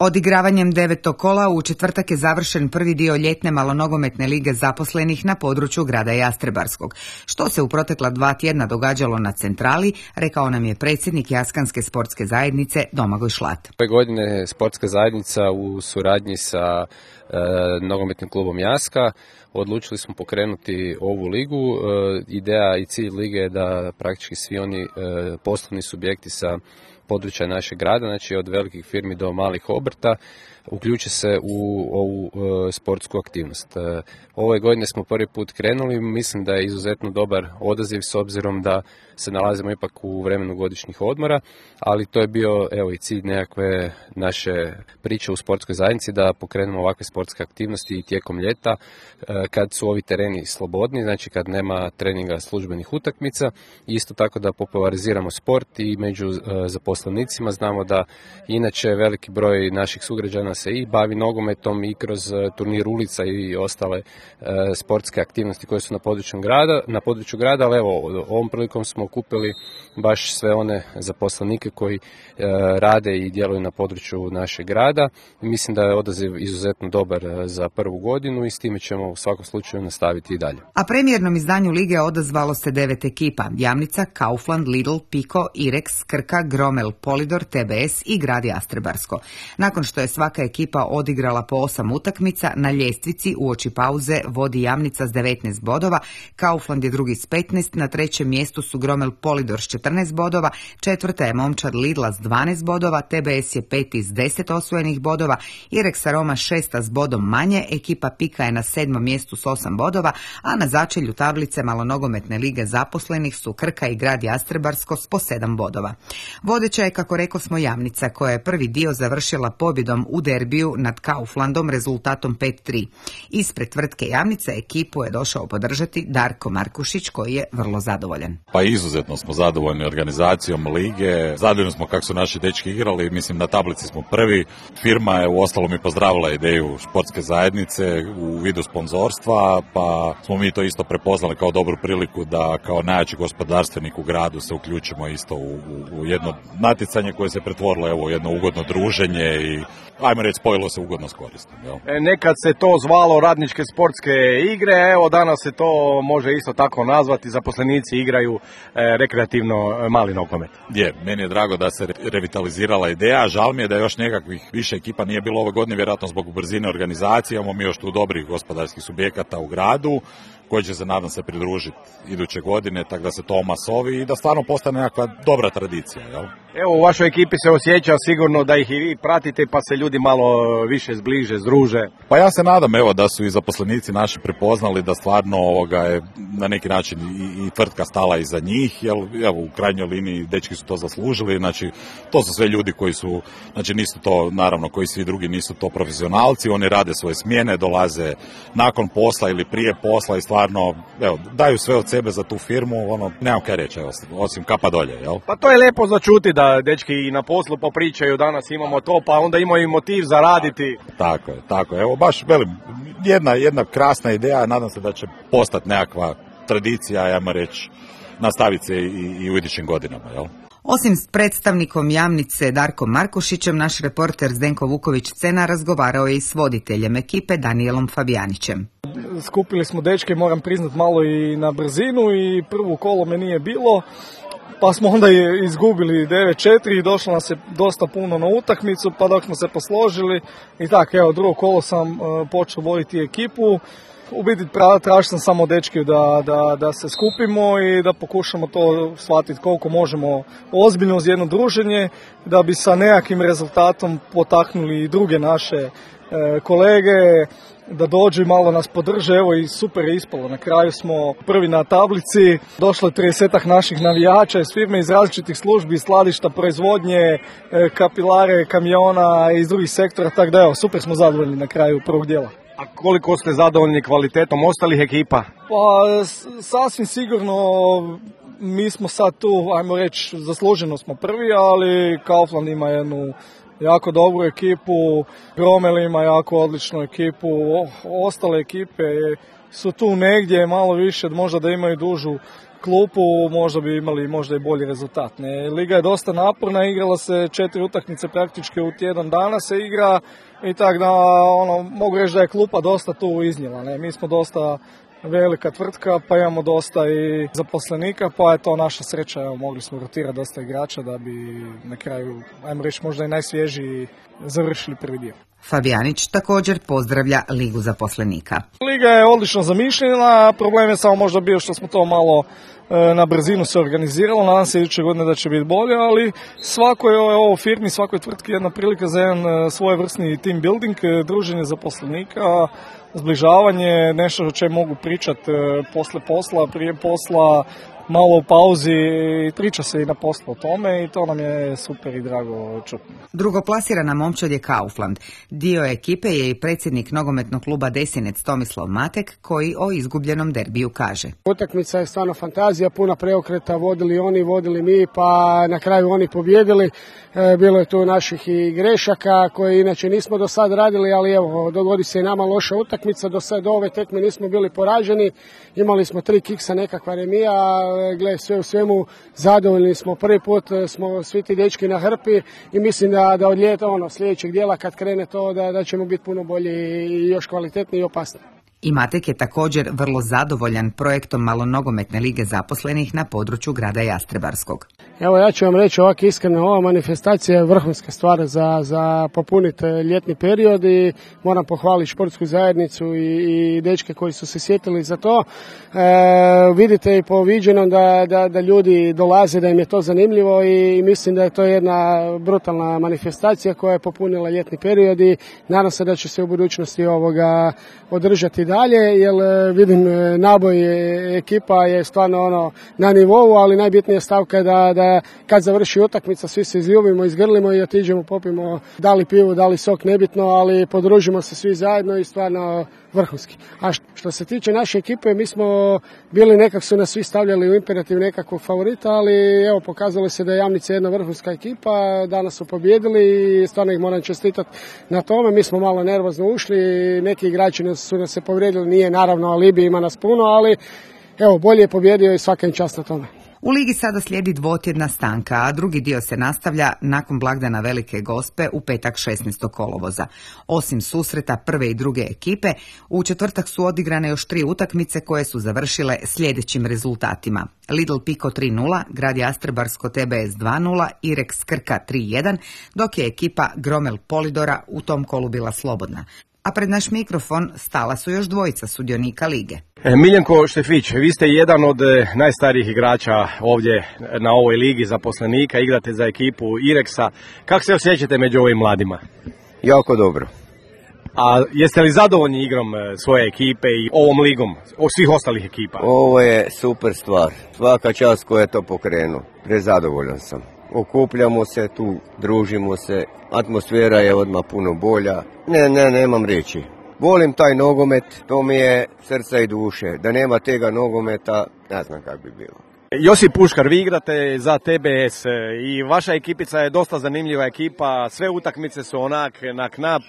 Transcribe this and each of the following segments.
Odigravanjem 9. kola u četvrtak je završen prvi dio ljetne malonogometne lige zaposlenih na području grada Jastrebarskog. Što se u protekla 2 tjedna događalo na centrali, rekao nam je predsjednik Jaskanske sportske zajednice Domagoj Šlat. Ove godine sportska zajednica u suradnji sa nogometnim klubom Jaska odlučili smo pokrenuti ovu ligu. Ideja i cilj lige je da praktički svi oni poslovni subjekti sa područja našeg grada, znači od velikih firmi do malih obrta, uključe se u ovu sportsku aktivnost. Ove godine smo prvi put krenuli, mislim da je izuzetno dobar odaziv s obzirom da se nalazimo ipak u vremenu godišnjih odmora, ali to je bio i cilj nekakve naše priče u sportskoj zajednici da pokrenemo ovakve sportske aktivnosti i tijekom ljeta kad su ovi tereni slobodni, znači kad nema treninga službenih utakmica, isto tako da populariziramo sport i među zaposlenicima. Znamo da inače veliki broj naših sugrađana se i bavi nogometom i kroz turnir ulica i ostale sportske aktivnosti koje su na području grada, ali evo, ovom prilikom smo okupili baš sve one zaposlenike koji rade i djeluju na području našeg grada. Mislim da je odaziv izuzetno dobar za prvu godinu i s time ćemo u svakom slučaju nastaviti i dalje. A premijernom izdanju lige odazvalo se 9 ekipa: Jamnica, Kaufland, Lidl, Piko, Irex, Krka, Gromel, Polidor, TBS i grad Jastrebarsko. Nakon što je svaka ekipa odigrala po 8 utakmica, na ljestvici uoči pauze vodi Jamnica s 19 bodova, Kaufland je drugi s 15, na trećem mjestu su Gromel Polidor s 14 bodova, četvrta je momčad Lidla s 12 bodova, TBS je peti s 10 osvojenih bodova, Irex Aroma šesta s bodom manje, ekipa Pika je na 7. mjestu s 8 bodova, a na začelju tablice malonogometne lige zaposlenih su Krka i grad Jastrebarsko s po 7 bodova. Vodeća je, kako rekao smo, Jamnica, koja je prvi dio završila pobjedom u derbiju nad Kauflandom rezultatom 5-3. Ispred tvrtke Jamnica ekipu je došao podržati Darko Markušić, koji je vrlo zadovoljan. Pa izuzetno smo zadovoljni organizacijom lige, zadovoljni smo kako su naši dečki igrali, mislim na tablici smo prvi. Firma je uostalom i pozdravila ideju sportske zajednice u vidu sponzorstva, pa smo mi to isto prepoznali kao dobru priliku da kao najjači gospodarstvenik u gradu se uključimo isto u jedno natjecanje koje se pretvorilo u jedno ugodno druženje i ajmo reći spojilo se ugodno s koristom. Nekad se to zvalo radničke sportske igre, evo danas se to može isto tako nazvati, zaposlenici igraju rekreativno mali nogomet. Meni je drago da se revitalizirala ideja, žal mi je da još nekakvih više ekipa nije bilo ove godine, vjerojatno zbog brzine organizacije, imamo mi još tu dobrih gospodarskih subjekata u gradu koji će se, nadam se, pridružiti iduće godine, tako da se to omasovi i da stvarno postane nekakva dobra tradicija. Jel? Evo, u vašoj ekipi se osjeća sigurno da ih i vi pratite, pa se ljudi malo više zbliže, združe. Pa ja se nadam, da su i zaposlenici naši prepoznali da stvarno je na neki način i tvrtka stala iza njih, jer u krajnjoj liniji dečki su to zaslužili, znači to su sve ljudi koji su, znači nisu to, naravno, koji svi drugi nisu to profesionalci, oni rade svoje smjene, dolaze nakon posla ili prije posla i stvarno, daju sve od sebe za tu firmu, nemam kaj reći, osim kapa dolje, jel? Pa to je lijepo začuti da dečki i na poslu popričaju, danas imamo to, pa onda imaju i motiv za raditi. Tako je, baš velim, jedna krasna ideja, nadam se da će postati nekakva tradicija, ajmo reći, nastaviti se i u idućim godinama, jel? Osim s predstavnikom Jamnice Darkom Markušićem, naš reporter Zdenko Vuković-Cena razgovarao je i s voditeljem ekipe Danielom Fabijanićem. Skupili smo dečke, moram priznat, malo i na brzinu i prvo kolo me nije bilo, pa smo onda izgubili 9-4 i došlo nas je dosta puno na utakmicu, pa dok smo se posložili i tako, drugo kolo sam počeo voditi ekipu. U biti tražio sam samo dečki da se skupimo i da pokušamo to shvatiti koliko možemo ozbiljno uz jedno druženje, da bi sa nekakvim rezultatom potaknuli i druge naše kolege da dođu i malo nas podrže. Evo i super je ispalo. Na kraju smo prvi na tablici. Došlo je 30 naših navijača iz firme, iz različitih službi, skladišta, proizvodnje, kapilare, kamiona iz drugih sektora. Tako da super smo zadovoljni na kraju prvog dijela. A koliko ste zadovoljni kvalitetom ostalih ekipa? Pa sasvim sigurno mi smo sad tu, ajmo reći, zasluženo smo prvi, ali Kaufland ima jednu jako dobru ekipu, Gromel ima jako odličnu ekipu, ostale ekipe su tu negdje malo više, možda da imaju dužu klupu, možda bi imali možda i bolji rezultat. Liga je dosta naporna, igrala se 4 utakmice praktički u tjedan dana se igra i tako da mogu reći da je klupa dosta tu iznijela. Mi smo dosta velika tvrtka, pa imamo dosta i zaposlenika, pa je to naša sreća, mogli smo rotirati dosta igrača da bi na kraju, ajmo reći, možda i najsvježiji završili prvi dio. Fabijanić također pozdravlja Ligu zaposlenika. Liga je odlično zamišljena, problem je samo možda bio što smo to malo na brzinu se organiziralo, nadam se iduće godine da će biti bolje, ali svakoj ovo firmi, svakoj tvrtki jedna prilika za jedan svojevrsni team building, druženje zaposlenika, zbližavanje, nešto o čemu mogu pričati posle posla, prije posla, malo u pauzi, priča se i na poslu o tome i to nam je super i drago čuti. Drugoplasirana momčad je Kaufland. Dio ekipe je i predsjednik nogometnog kluba Desinec Tomislav Matek, koji o izgubljenom derbiju kaže. Utakmica je stvarno fantazija, puna preokreta, vodili oni, vodili mi, pa na kraju oni pobjedili. Bilo je tu naših i grešaka koje inače nismo do sad radili, ali evo, dogodi se i nama loša utakmica, do ove tekme nismo bili poraženi, imali smo 3 kiksa, nekakva remija, sve u svemu zadovoljni smo, prvi put smo svi ti dečki na hrpi i mislim da od ljeta sljedećeg dijela kad krene to da ćemo biti puno bolji i još kvalitetniji i opasni. I Matek je također vrlo zadovoljan projektom malonogometne lige zaposlenih na području grada Jastrebarskog. Evo ja ću vam reći ovako iskreno, ova manifestacija je vrhunska stvar za popuniti ljetni period i moram pohvaliti športsku zajednicu i dečke koji su se sjetili za to. Vidite i po viđenom da ljudi dolaze, da im je to zanimljivo i mislim da je to jedna brutalna manifestacija koja je popunila ljetni period i nadam se da će se u budućnosti održati dalje, jer vidim naboj ekipa je stvarno na nivou, ali najbitnija stavka je da kad završi utakmica svi se izljubimo, izgrlimo i otiđemo, popimo da li pivu, da li sok, nebitno, ali podružimo se svi zajedno i stvarno vrhunski. A što se tiče naše ekipe, mi smo bili nekak su nas svi stavljali u imperativ nekakvog favorita, ali evo pokazalo se da je Jamnica jedna vrhunska ekipa, danas su pobjedili i stvarno ih moram čestitati na tome. Mi smo malo nervozno ušli, neki igrači su nas se povrijedili, nije naravno alibi, ima nas puno, ali evo bolje je pobjedio i svaka im čast na tome. U ligi sada slijedi dvotjedna stanka, a drugi dio se nastavlja nakon blagdana Velike Gospe u petak 16. kolovoza. Osim susreta prve i druge ekipe, u četvrtak su odigrane još 3 utakmice koje su završile sljedećim rezultatima. Lidl Piko 3-0, Grad Jastrebarsko TBS 2-0, Irex Krka 3-1, dok je ekipa Gromel Polidora u tom kolu bila slobodna. A pred naš mikrofon stala su još dvojica sudionika lige. Miljenko Štefić, vi ste jedan od najstarijih igrača ovdje na ovoj ligi zaposlenika, igrate za ekipu Irexa. Kako se osjećate među ovim mladima? Jako dobro. A jeste li zadovoljni igrom svoje ekipe i ovom ligom, od svih ostalih ekipa? Ovo je super stvar. Svaka čast koja je to pokrenuo. Prezadovoljan sam. Okupljamo se tu, družimo se, atmosfera je odmah puno bolja. Nemam riječi. Volim taj nogomet, to mi je srca i duše. Da nema tega nogometa, ne znam kako bi bilo. Josip Puškar, vi igrate za TBS i vaša ekipica je dosta zanimljiva ekipa, sve utakmice su onak na knap.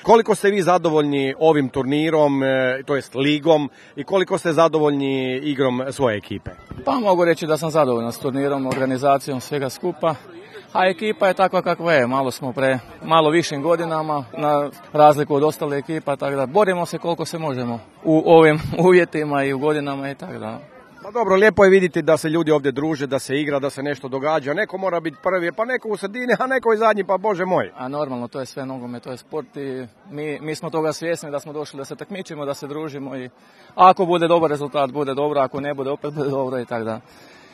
Koliko ste vi zadovoljni ovim turnirom, to jest ligom, i koliko ste zadovoljni igrom svoje ekipe? Pa mogu reći da sam zadovoljan s turnirom, organizacijom, svega skupa. A ekipa je takva kakva je, malo smo malo višim godinama, na razliku od ostale ekipa, tako da borimo se koliko se možemo u ovim uvjetima i u godinama i tako da. Pa dobro, lijepo je vidjeti da se ljudi ovdje druže, da se igra, da se nešto događa. Neko mora biti prvi, pa neko u sredini, a neko i zadnji, pa bože moj. A normalno, to je sve nogomet, to je sport i mi smo toga svjesni da smo došli da se takmičimo, da se družimo i ako bude dobar rezultat, bude dobro, ako ne bude, opet bude dobro i tako da.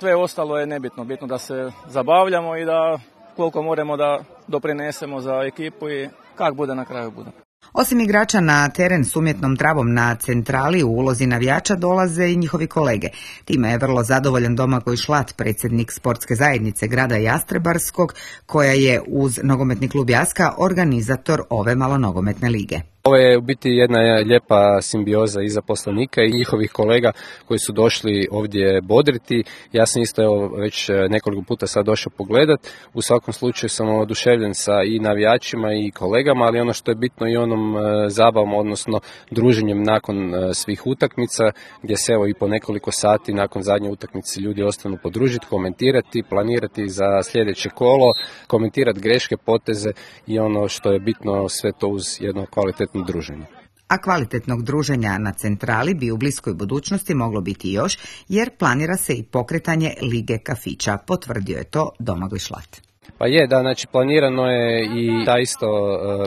Sve ostalo je nebitno, bitno da se zabavljamo i da koliko moramo da doprinesemo za ekipu i kak bude na kraju bude. Osim igrača na teren s umjetnom travom na centrali u ulozi navijača dolaze i njihovi kolege. Time je vrlo zadovoljan Domagoj Šlat, predsjednik sportske zajednice grada Jastrebarskog, koja je uz nogometni klub Jaska organizator ove malonogometne lige. Ovo je u biti jedna lijepa simbioza i zaposlenika i njihovih kolega koji su došli ovdje bodriti. Ja sam isto već nekoliko puta sad došao pogledat. U svakom slučaju sam oduševljen sa i navijačima i kolegama, ali ono što je bitno i onom zabavom, odnosno druženjem nakon svih utakmica, gdje se evo i po nekoliko sati nakon zadnje utakmice ljudi ostanu podružiti, komentirati, planirati za sljedeće kolo, komentirati greške, poteze i ono što je bitno, sve to uz jedno kvalitetno druženje. A kvalitetnog druženja na centrali bi u bliskoj budućnosti moglo biti još, jer planira se i pokretanje Lige kafića, potvrdio je to Domagoj Šlat. Pa je, da, znači planirano je i ta isto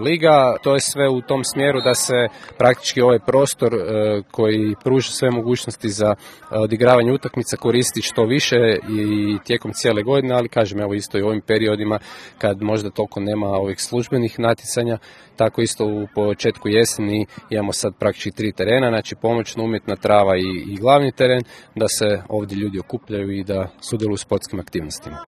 liga, to je sve u tom smjeru da se praktički ovaj prostor koji pruža sve mogućnosti za odigravanje utakmica koristi što više i tijekom cijele godine, ali kažem evo isto i u ovim periodima kad možda toliko nema ovih službenih natjecanja, tako isto u početku jeseni imamo sad praktički 3 terena, znači pomoćna, umjetna trava i glavni teren, da se ovdje ljudi okupljaju i da sudjeluju u sportskim aktivnostima.